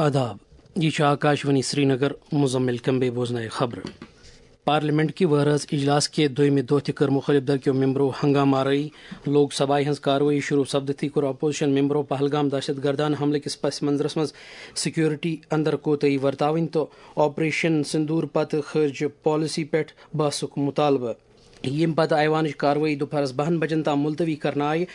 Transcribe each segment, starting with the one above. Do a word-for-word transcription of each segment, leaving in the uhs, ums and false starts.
آداب، یہ چھُ آکاشوانی سرینگر، مزمل کمبے بوزنائے خبر۔ پارلیمنٹ کہِ وہرٲژ اجلاس کہِ دویمہِ دۄہ تہِ کٔر مُخٲلِف دھرکیو ممبرو ہنگامہٕ آرٲیی۔ لوک سبھایہ ہٕنٛز کاروٲیی شروع سپدتھٕے کوٚر اپوزیشن ممبرو پہلگام دہشت گردانہ حملہٕ کِس پس منظرس منٛز سیکورٹی اندر کوتاہی ورتاوٕنۍ تہٕ آپریشن سندور پتہٕ خارجہ پالیسی پٮ۪ٹھ بحثُک مطالبہٕ۔ ییٚمہِ پتہٕ ایوانٕچ کاروٲیی دُپہرس بَہَن بجن تام ملتوی کرنہٕ آیہِ۔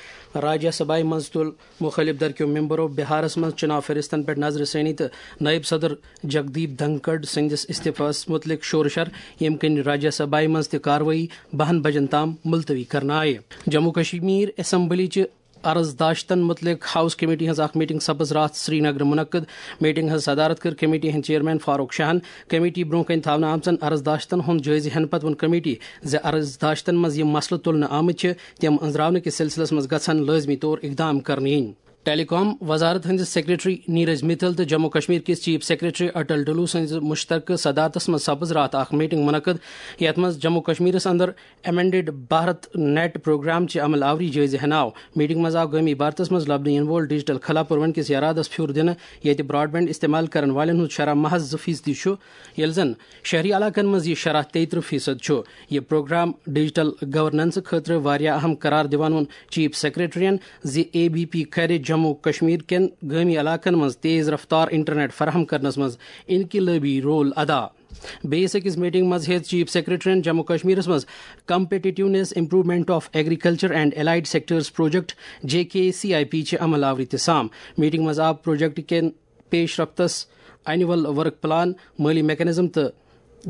راجیہ سبھایہ منٛز تُل مُخٲلِف دھرکیو ممبرو بہارس منٛز چُناو فہرستن پٮ۪ٹھ نظرِ ثٲنی تہٕ نٲیِب صدر جگدیپ دھنکڑ سٕنٛدِس استعفاہس مُتعلق شورٕ شر، ییٚمہِ کِنۍ راجیہ سبھایہ منٛز تہِ کاروٲیی بَہَن بجن تام ملتوی کرنہٕ آیہِ۔ جموں کشمیر اسمبلی چہِ عرض داشتن مُتعلق ہاؤس کمیٹی ہٕنٛز اکھ میٹنگ سپٕز راتھ سرینگرٕ منعقد۔ میٹنگ ہٕنٛز صدارت کٔر کمیٹی ہٕنٛدۍ چیئرمین فاروق شاہن۔ کمیٹی برونٛہہ کنہِ تھاونہٕ آمژن عرض داشتن ہُنٛد جٲیزٕ ہٮ۪نہٕ پتہٕ ووٚن کمیٹی زِ عرض داشتن منٛز یِم مسلہٕ تُلنہٕ آمٕتۍ چھِ، تِم أنٛزراونہٕ کِس سلسلس منٛز گژھن لٲزمی طور اقدام کرنہٕ یِنۍ۔ ٹیلی کام وزارت ہٕنٛدِس سیکرٹری نیرج متل تہٕ جموں کشمیر کِس چیف سیکرٹری اٹل ڈلو سٕنٛزِ مشترکہٕ صدارتس منٛز سپٕز راتھ اکھ میٹنگ منعقد، یتھ منٛز جموں کشمیرس اندر ایمنڈڈ بھارت نیٹ پروگرام چہِ عمل آوری جٲیزٕ ہٮ۪نہٕ آو۔ میٹنگ منٛز آو گٲمی بھارتس منٛز لبنہٕ یِنہٕ وول ڈیجیٹل خلا پروَن کِس یرادس پھیُر دِنہٕ، ییٚتہِ براڈ بینڈ استعمال کرن والٮ۪ن ہُنٛد شرح محض زٕ فیصدی چھُ، ییٚلہِ زن شہری علاقن منٛز یہِ شرح تیٚیہِ ترٕٛہ فیصد چھُ۔ یہِ پروگرام ڈیجیٹل گورننس خٲطرٕ واریاہ اہم قرار دِوان ووٚن چیف سیکرٹریَن زِ اے بی پی کرِ جموں کشمیر کٮ۪ن گٲمی علاقن منٛز تیز رفتار انٹرنیٹ فراہم کرنس منٛز انقلٲبی رول ادا۔ بیٚیِس أکِس میٹنگ منٛز ہیٚژ چیف سیکرٹریَن جموں کشمیرس منٛز Competitiveness Improvement of Agriculture and Allied Sectors Project، J K C I P چہِ عمل آوری تہِ سام۔ میٹنگ منٛز آو پروجیکٹ کٮ۪ن پیش رفتس، اینول ورک پلان، مٲلی میکانزم تہٕ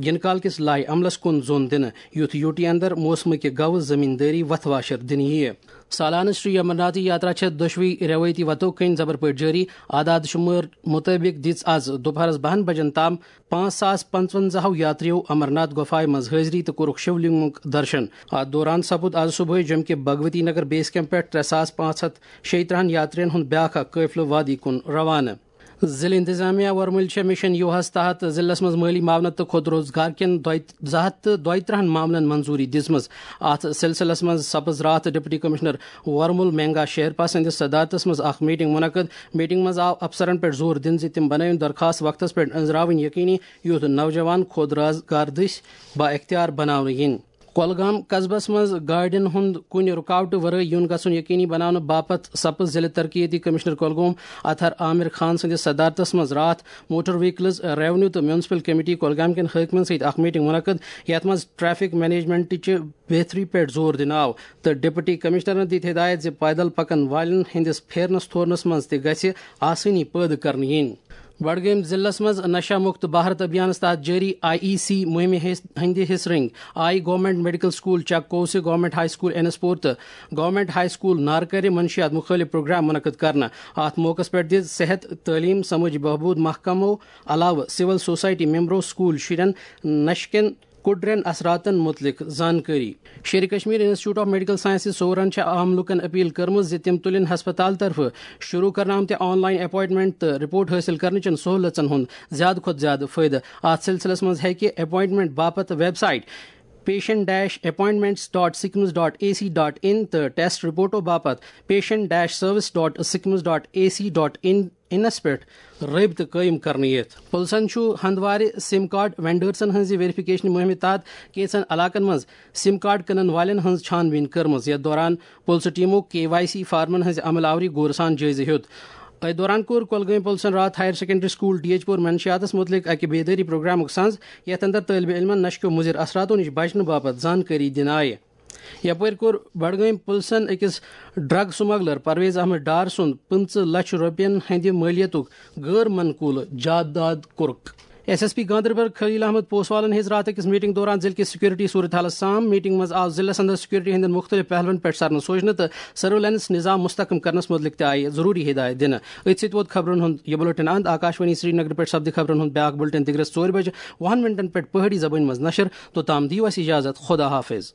یِنہٕ کال کِس لائحہ عملس کُن زون دِنہٕ، یُتھ یوٗ ٹی اندر موسمہٕ کہِ گوٚو زمیندٲری وتھ واشر دِنہٕ یِیہِ۔ سالانہٕ شری امرناتھ یاترا چھےٚ دۄشوٕے روایتی وتو کٔنۍ زبر پٲٹھۍ جٲری۔ اعداد شمار مُطٲبِق دِژ از دُپہرس بَہَن بجن تام پانٛژھ ساس پنٛژونٛزاہو یاتریو امرناتھ گۄپھایہِ منٛز حٲضری تہٕ کوٚرُکھ شِولنگُک درشن۔ اتھ دوران سپُد از صبحٲے جوٚمہِ کہِ بھگوتی نگر بیس کیمپ پٮ۪ٹھ ترٛےٚ ساس پانٛژھ ہتھ شیٚیہِ ترٕٛہن یاترین ہُنٛد بیاکھ اکھ قٲفلہٕ وادی کُن روانہٕ۔ ضلع انتظامیہ ورمُل چھےٚ مشن یوہاہس تحت ضلعس منٛز مٲلی معاونت تہٕ خود روزگار کٮ۪ن دۄیہِ زٕ ہتھ تہٕ دۄیہِ ترٕٛہن معاملن منظوری دِژمٕژ۔ اتھ سلسلس منٛز سپٕز راتھ ڈپٹی کمشنر ورمُل مینگا شیرپا سٕنٛدِس صدارتس منٛز اکھ میٹنگ منعقد۔ میٹنگ منٛز آو افسرن پٮ۪ٹھ زور دِنہٕ زِ تِم بنٲوِن درخواست وقتس پٮ۪ٹھ أنٛزراوٕنۍ یقینی، یُتھ نوجوان خود روزگار دٔسۍ با اختیار بناونہٕ یِن۔ کۄلگام قصبس منٛز گاڑٮ۪ن ہُنٛد کُنہِ رُکاوٹہٕ ورٲے یُن گژھُن یقینی بناونہٕ باپتھ سپٕز ضلع ترقیتی کمشنر کۄلگوم اطہر عامر خان سٕنٛدِس صدارتس منٛز راتھ موٹر وہیکلز، ریونیو تہٕ میونسپل کمیٹی کۄلگام کٮ۪ن حٲکمن سۭتۍ اکھ میٹنگ منعقد، یتھ منٛز ٹریفک مینجمنٹٕچہِ بہتری پٮ۪ٹھ زور دِنہٕ آو تہٕ ڈپٹی کمشنرن دِتۍ ہدایت زِ پیدل پکن والٮ۪ن ہٕنٛدِس پھیرنس تھورنس منٛز تہِ گژھِ آسٲنی پٲدٕ کرنہٕ یِنۍ۔ بڈگٲمۍ ضلعس منٛز نشہ مکت بھارت ابھیانس تحت جٲری آئی ای سی مہمہِ حص-، ہٕنٛدِ حصہٕ رنگۍ آئی گورنمنٹ میڈیکل سکول چک کوسہِ، government high school Anspur تہٕ گورنمنٹ ہائی سکول نارکرِ منشیات مُخٲلِف پروگرام منعقد کرنہٕ۔ اتھ موقعس پٮ۪ٹھ دِژ صحت، تعلیٖم، سمٲجی بہبود محکمو علاوٕ سول سوسائٹی ممبرو سکول شُرٮ۪ن نشہٕ کٮ۪ن کُڈرٮ۪ن اثراتن مُتعلق زانکٲری۔ Sher Kashmir institute of medical sciences سورن چھےٚ عام لوٗکن اپیل کٔرمٕژ زِ تِم تُلِن ہسپتال طرفہٕ شروع کرنہٕ آمتہِ آن لائن اپوائنٹمنٹ تہٕ رپورٹ حٲصِل کرنہٕ چٮ۪ن سہوٗلژن ہُنٛد زیادٕ کھۄتہٕ زیادٕ فٲیدٕ۔ اتھ سلسلس منٛز ہیٚکہِ اپوائنٹمنٹ باپتھ website patient dash appointments dot sikkims dot ac dot in تہٕ ٹیسٹ رپورٹو باپتھ patient dash service dot sikkims dot ac dot in انس پٮ۪ٹھ رٲبطہٕ قٲیِم کرنہٕ یِتھ۔ پُلسن چھُ ہندوارِ سِم کارڈ وینڈرزن ہٕنٛزِ ویریفکیشن مُہِمہِ تحت کینٛژن علاقن منٛز سِم کارڈ کٕنن والٮ۪ن ہٕنٛز چھان بیٖن کٔرمٕژ، یتھ دوران پُلسہٕ ٹیمو کے وائی سی فارمن ہٕنٛزِ عمل آوری غورٕ سان جٲیزٕ ہیوٚت۔ أتھۍ دوران کوٚر کۄلگٲمۍ پُلسن راتھ higher secondary school D H Pora منشیاتس مُتعلق اکہِ بیدٲری پروگرامُک سنز، یتھ اندر طٲلبہِ علمن نشہٕ کیو مُضر اثراتو نِش بچنہٕ باپتھ زانکٲری دِنہٕ آیہِ۔ یپٲرۍ کوٚر بڈگٲمۍ پُلسن أکِس ڈرگ سمگلر پرویز احمد ڈار سُنٛد پٕنٛژٕہ لچھ رۄپین ہٕنٛدِ مٲلیتُک غٲر منقولہٕ جائیداد کوٚرُکھ۔ ایس ایس پی گاندربل خلیل احمد پوسوالن ہیٚژ راتھ أکِس میٹنگ دوران ضلعہٕ کِس سیکورٹی صورتحالس سام۔ میٹنگ منٛز آو ضلعس اندر سیکورٹی ہٕنٛدٮ۪ن مُختٔلِف پہلوَن پٮ۪ٹھ سرنہٕ سوچنہٕ تہٕ سرویلنس نظام مستحکم کرنس مُتعلق تہِ آیہِ ضروٗری ہدایت دِنہٕ۔ أتھۍ سۭتۍ ووت خبرن ہُنٛد یہِ بلیٹن اند۔ آکاشوانی سرینگر پٮ۪ٹھ سپدِ خبرن ہُنٛد بیاکھ بلیٹن دِگرس ژورِ بجہِ وُہن منٹن پٮ۪ٹھ پہٲڑی زبٲنۍ منٛز نشر۔ توٚتام دِیِو اَسہِ اجازت۔ خدا حافظ۔